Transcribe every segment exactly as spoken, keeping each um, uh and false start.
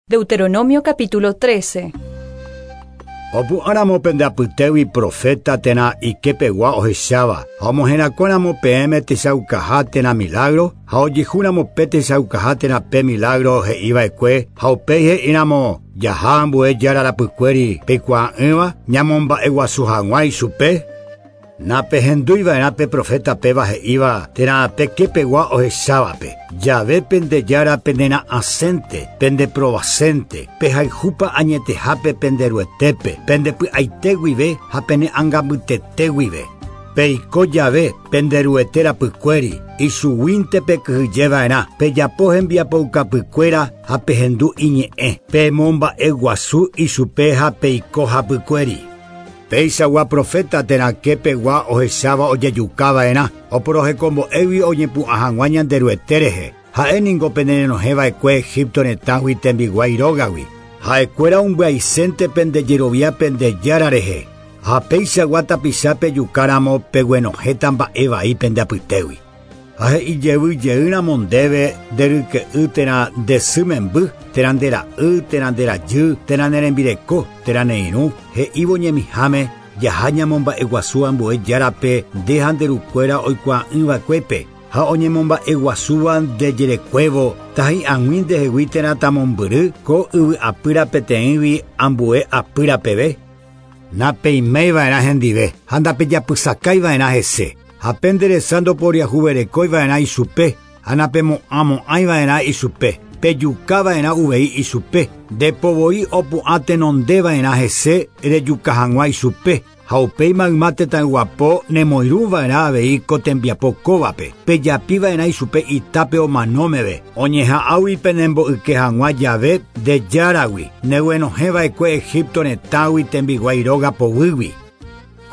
Deuteronomio capítulo trece. Opu'ãramo pende apytégui profeta térã ikepegua ohecháva ha omoherakuãramo peẽme techaukaha térã milagro ha ojehúramo pe techaukaha térã pe milagro he'iva'ekue ha upéi he'íramo jaha ambue jára rapykuéri peikuaa'ỹva ñamomba'eguasu hag̃ua ichupe. Napehendúiva'erã pe profeta péva he'íva térã pekepegua ohechávape. Jave pende jára pendera'ãsénte, pendeprovasénte, pehayhúpa añetehápe penderuetépe, pendepy'aite guive ha pene'ãngambytete guive. Peiko jave penderuete rapykuéri, ichuguínte pekyhyjeva'erã, pejapo hembiapoukapykuéra ha pehendu iñe'ẽ, pemomba'eguasu ichupe ha peiko hapykuéri. Peichagua profeta térã kepegua ohecháva ojejukava'erã, oporohekombo'égui oñepu'ã hag̃ua Ñanderuete rehe. Ha'éningo penerenohẽva'ekue Egipto retãgui tembiguái rógagui. Ha'ekuéra ombyaisénte pendejerovia pende jára rehe. Ha peichagua tapicha pejukáramo peguenohẽta mba'e vai pende apytégui. Ha he'i jeýramo ndéve nderyke'y térã nde sy memby, térã nde ra'y, térã nde rajy, térã ne rembireko, térã ne irũ, he'ívo ñemiháme jaha ñamomba'eguasu ambue járape nde ha nderukuéra oikuaa'ỹva'ekuépe ha oñemomba'eguasúva ndejerekuévo tahi'ag̃ui ndehegui térã tamombyry ko yvy apýra peteĩgui ambue apýra peve. Napeiméiva'erã hendive ha ndapejapysakaiva'erã hese. Ha penderesa ndoporiahuverekóiva'erã ichupe ha napemo'ãmo'ãiva'erã ichupe. Pejukava'erã uvei ichupe. Ndepovoi opu'ã tenondeva'erã hese rejuka hag̃ua ichupe. Ha upéi mayma tetãyguapo nemoirũva'erã avei ko tembiapo kóvape. Pejapiva'erã ichupe itápe omanómeve. Oñeha'ãgui penembo'yke hag̃ua jave nde járagui. Neguenohẽva'ekue Egipto retãgui tembiguái róga poguýgui.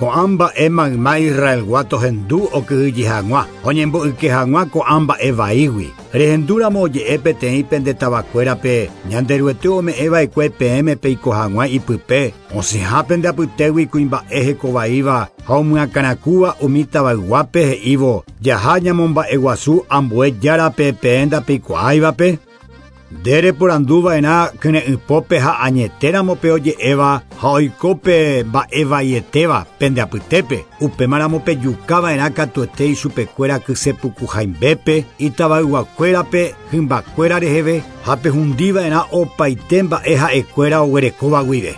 Ko'ã mba'e mayma Israelgua tohendu okyhyje hag̃ua, oñembo'yke hag̃ua ko'ã mba'e vaígui. Rehendúramo oje'e peteĩ pende tavakuérape, Ñanderuete ome'ẽva'ekue peẽme peiko hag̃ua ipype, osẽha pende apytégui kuimba'e hekovaíva ha omyakãrakúva umi tavayguápe he'ívo jaha ñamomba'eguasu ambue járape peẽ ndapeikuaáivape. Nde reporanduva'erã kyre'ỹpópe ha añetéramo pe oje'éva ha oiko pe mba'evaietéva pende apytépe. Upémaramo pejukava'erã katuete ichupekuéra kysepukuhaimbépe, itavayguakuérape hymbakuéra reheve ha pehundiva'erã opaite mba'e ha'ekuéra oguerekóva guive.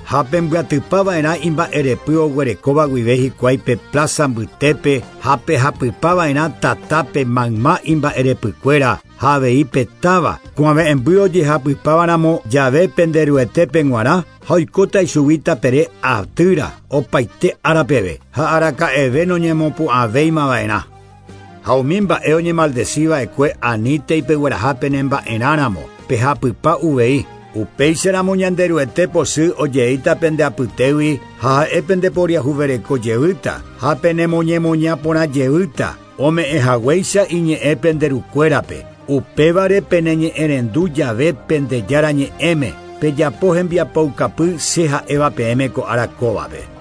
Ha pembyatypava'erã imba'erepy oguerekóva guive hikuái pe plaza mbytépe ha pehapypava'erã tatápe mayma imba'erepykuéra ha avei petáva kuave'ẽmby ojehapypávaramo jave penderuetépe g̃uarã ha oikóta ichugui tapere atýra opaite ára peve ha araka'eve noñemopu'ãvéimava'erã. Ha umi mba'e oñemaldeciva'ekue anítei pegueraha penemba'erãramo pehapypa uvei. Upéicharamo Ñanderuete pochy ojeíta pende apytégui ha ha'e pendeporiahuvereko jeýta ha penemoñemoña porã jeýta ome'ẽhaguéicha iñe'ẽ penderukuérape. Upévare peneñe'ẽrendu jave pende jára ñe'ẽme pejapo hembiapoukapy che ha'éva peẽme ko ára kóvape.